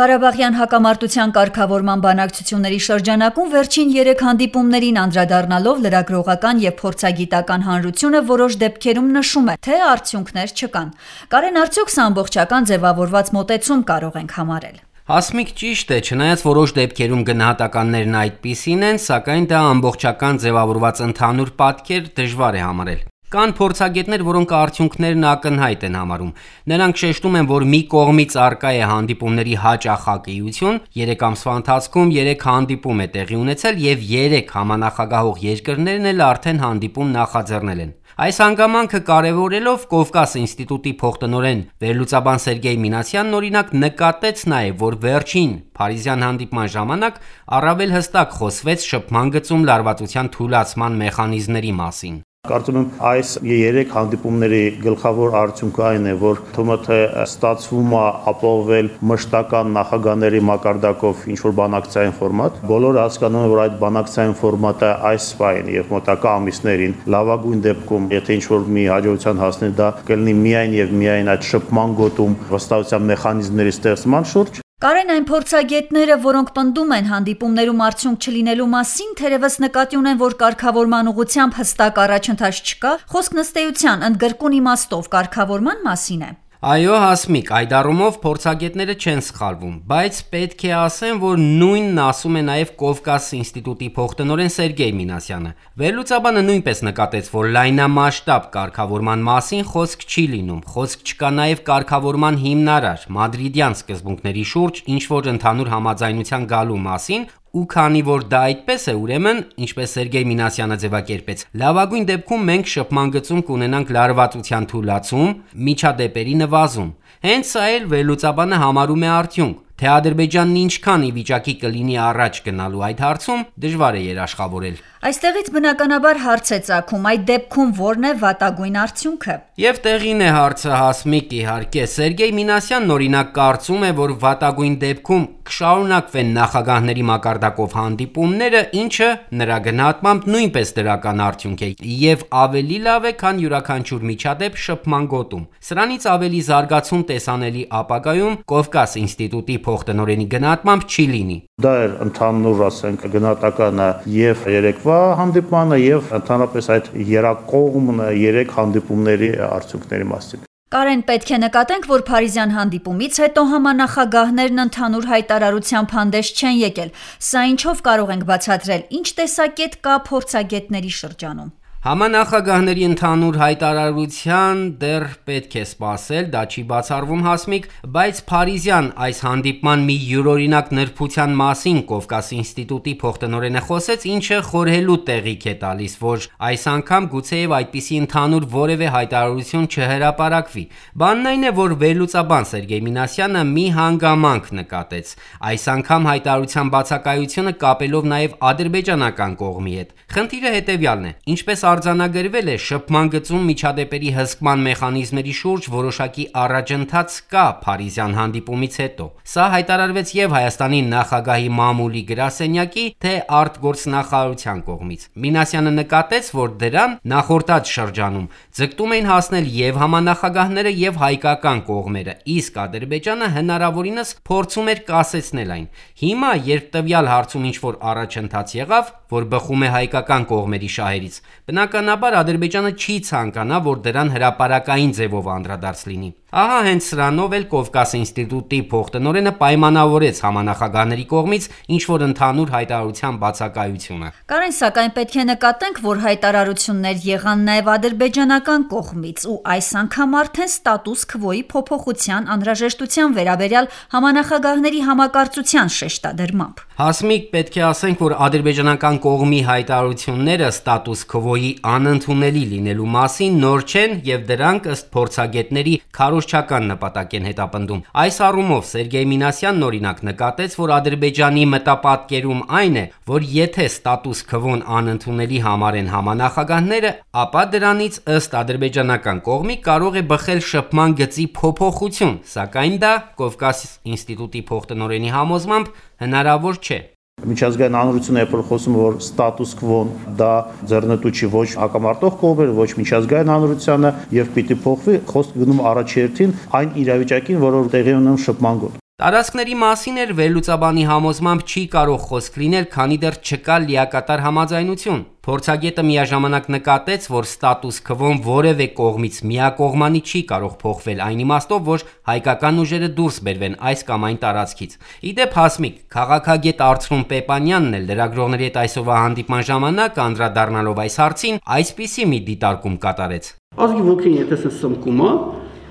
Ղարաբաղյան հակամարտության կարգավորման բանակցությունների շրջանակում վերջին 3 հանդիպումներին անդրադառնալով լրագրողական և փորձագիտական հանրությունը որոշ դեպքերում նշում է, թե արդյունքներ չկան։ Կարեն, արդյոք սա ամբողջական ձևավորված մոտեցում կարող ենք համարել։ Հասմիկ, ճիշտ է, չնայած որոշ դեպքերում գնահատականներն այդպիսին են, սակայն դա ամբողջական ձևավորված ընդհանուր պատկեր դժվար է համարել։ Կան փորձագետներ, որոնք արդյունքներն ակնհայտ են համարում։ Նրանք շեշտում են, որ մի կողմից առկա է հանդիպումների հաճախակիություն, 3 ամսվա ընթացքում 3 հանդիպում է տեղի ունեցել և 3 համանախագահող երկրներն էլ արդեն հանդիպում նախաձեռնել են։ Այս հանգամանքը կարևորելով Կովկաս ինստիտուտի փոխտնօրեն վերլուծաբան Սերգեյ Մինասյանն օրինակ նկատեց նաև, որ վերջին փարիզյան հանդիպման ժամանակ առավել հստակ խոսվեց շփման գծում լարվածության թուլացման մեխանիզմների մասին։ Կարծում եմ այս 3 հանդիպումների գլխավոր արդյունքը այն է, որ թվում է թե ստացվում է ապահովել մշտական նախագահների մակարդակով ինչ-որ բանակցային ֆորմատ։ Բոլորը հասկանում են, որ այդ բանակցային ֆորմատը այս պահին եւ մոտակա ամիսներին լավագույն դեպքում, եթե ինչ-որ մի հաջողության հասնի, դա կլինի միայն եւ միայն այդ շփման գոտում վստահության մեխանիզմների ստեղծման շուրջ։ Կարեն, այն փորձագետները, որոնք պնդում են հանդիպումներում արդյունք չլինելու մասին, թերևս նկատի ունեն, որ կարգավորման ուղղությամբ հստակ առաջընթաց չկա, խոսքն ըստ էության ընդգրկուն իմաստով կարգավորման մասին է։ Այո, Հասմիկ, այդ առումով փորձագետները չեն սխալվում, բայց պետք է ասեմ, որ նույնն ասում է նաև Կովկաս ինստիտուտի փոխտնօրեն Սերգեյ Մինասյանը։ Վերլուծաբանը նույնպես նկատեց, որ լայնամասշտաբ կարգավորման մասին խոսք չի լինում, խոսք չկա նաև կարգավորման հիմնարար մադրիդյան սկզբունքների շուրջ ինչ-որ ընդհանուր համաձայնության գալու մասին, ու քանի որ դա այդպես է, ուրեմն, ինչպես Սերգեյ Մինասյանը ձևակերպեց, լավագույն դեպքում մենք շփման գծում կունենանք լարվածության թուլացում, միջադեպերի նվազում։ Հենց սա էլ վերլուծաբանը համարում է արդյունք։ Թե Ադրբեջանն ինչքան ի վիճակի կլինի առաջ գնալու այդ հարցում, դժվար է երաշխավորել։ Այստեղից բնականաբար հարց է ծագում, այդ դեպքում ո՞րն է վատագույն արդյունքը։ Եվ տեղին է հարցը, Հասմիկ, իհարկե։ Սերգեյ Մինասյանն օրինակ կարծում է, որ վատագույն դեպքում կշարունակվեն նախագահների մակարդակով հանդիպումները, ինչը նրա գնահատմամբ նույնպես դրական արդյունք է եւ ավելի լավ է, քան յուրաքանչյուր միջադեպ շփման գոտում։ Սրանից ավելի զարգացում տեսանելի ապագայում Կովկաս ինստիտուտի փոխտնօրենի գնահատմամբ չի լինի։ Դա էր ընդհանուր, ասենք, գնահատականը եւ երեկվա հանդիպմանը եւ ընդհանրապես այդ երակողմ 3 հանդիպումների արդյունքների մասին։ Կարեն, պետք է նկատենք, որ փարիզյան հանդիպումից հետո համանախագահներն ընդհանուր հայտարարությամբ հանդես չեն եկել։ Սա ինչով կարող ենք բացատրել, ինչ տեսակետ կա փորձագետների շրջանում։ Համանախագահների ընդհանուր հայտարարության դեռ պետք է սպասել, դա չի բացառվում, Հասմիկ, բայց փարիզյան այս հանդիպման մի յուրօրինակ նրբության մասին Կովկաս ինստիտուտի փոխտնօրենը խոսեց, ինչը խորհելու տեղիք է տալիս, որ այս անգամ գուցեև այդպիսի ընդհանուր որևէ հայտարարություն չհրապարակվի։ Բանն այն է, որ վերլուծաբան Սերգեյ Մինասյանը մի հանգամանք նկատեց։ Այս անգամ հայտարարության բացակայությունը կապելով նաև ադրբեջանական կողմի հետ։ Խնդիրը հետևյալն է, ինչպես արձանագրվել է, շփման գծում միջադեպերի հսկման մեխանիզմների շուրջ որոշակի առաջընթաց կա փարիզյան հանդիպումից հետո։ Սա հայտարարվեց եւ Հայաստանի նախագահի մամուլի գրասենյակի, թե արտգործնախարարության կողմից։ Մինասյանը նկատեց, որ դրան նախորդած շրջանում ձգտում էին հասնել եւ համանախագահները եւ հայկական կողմերը, իսկ Ադրբեջանը հնարավորինս փորձում էր կասեցնել այն։ Հիմա, երբ տվյալ հարցում ինչ-որ առաջընթաց եղավ, որ բխում է հայկական կողմերի շահերից, բնականաբար Ադրբեջանը չի ցանկանա, որ դրան հրապարակային ձևով անդրադարձ լինի։ Ահա հենց սրանով էլ Կովկաս ինստիտուտի փոխտնօրենը պայմանավորեց համանախագահների կողմից ինչ-որ ընդհանուր հայտարարության բացակայությունը։ Կարեն, սակայն պետք է նկատենք, որ հայտարարություններ եղան նաև ադրբեջանական կողմից, ու այս անգամ արդեն ստատուս քվոյի փոփոխության անհրաժեշտության վերաբերյալ համանախագահների համակարծության շեշտադրմամբ։ Հասմիկ, պետք է ասենք, որ ադրբեջանական կողմի հայտարարությունները ստատուս քվոյի անընդունելի լինելու մասին նոր չեն եւ դրանք ըստ փորձագետների քարոզչական նպատակ են հետապնդում։ Այս առումով Սերգեյ Մինասյանն օրինակ նկատեց, որ Ադրբեջանի մտապատկերում այն է, որ եթե ստատուս քվոն անընդունելի համարեն համանախագահները, ապա դրանից ըստ ադրբեջանական կողմի կարող է բխել շփման գծի փոփոխություն, սակայն դա Կովկաս ինստիտուտի փոխտնօրենի համոզմամբ հնարավոր չէ։ Միջազգային հանրությունը երբ խոսում որ ստատուս քվոն դա ձեռնտու չի ոչ հակամարտող կողմերը, ոչ միջազգային հանրությանը եւ պիտի փոխվի, խոսք գնում առաջերտին այն իրավիճակին, որը տեղի ունենում շփման գոտ։ Տարածքների մասին էր վերլուծաբանի համոզմամբ չի կարող խոսք լինել, քանի դեռ չկա լիակատար համաձայնություն։ Փորձագետը միաժամանակ նկատեց, որ ստատուս քվոն որևէ կողմից միակողմանի չի կարող փոխվել այն իմաստով, որ հայկական ուժերը դուրս բերվեն այս կամ այն տարածքից։ Իդեպ Հասմիկ, քաղաքագետ Արծրուն Պեպանյանն էլ լրագրողների հետ այսօրվա հանդիպման ժամանակ անդրադառնալով այս հարցին, այսպիսի մի դիտարկում կատարեց։ Ազգի ոգին եթե սմկում է,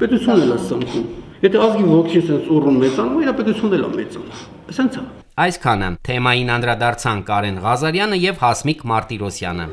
պետությունն էլ է սմկում։ Եթե ազգի ոգին sense ուռում մեծանում, իր պետությունն էլ է մեծանում։ Սենց է։ Այսքանը թեմային անդրադարձան Կարեն Ղազարյանը եւ Հասմիկ Մարտիրոսյանը։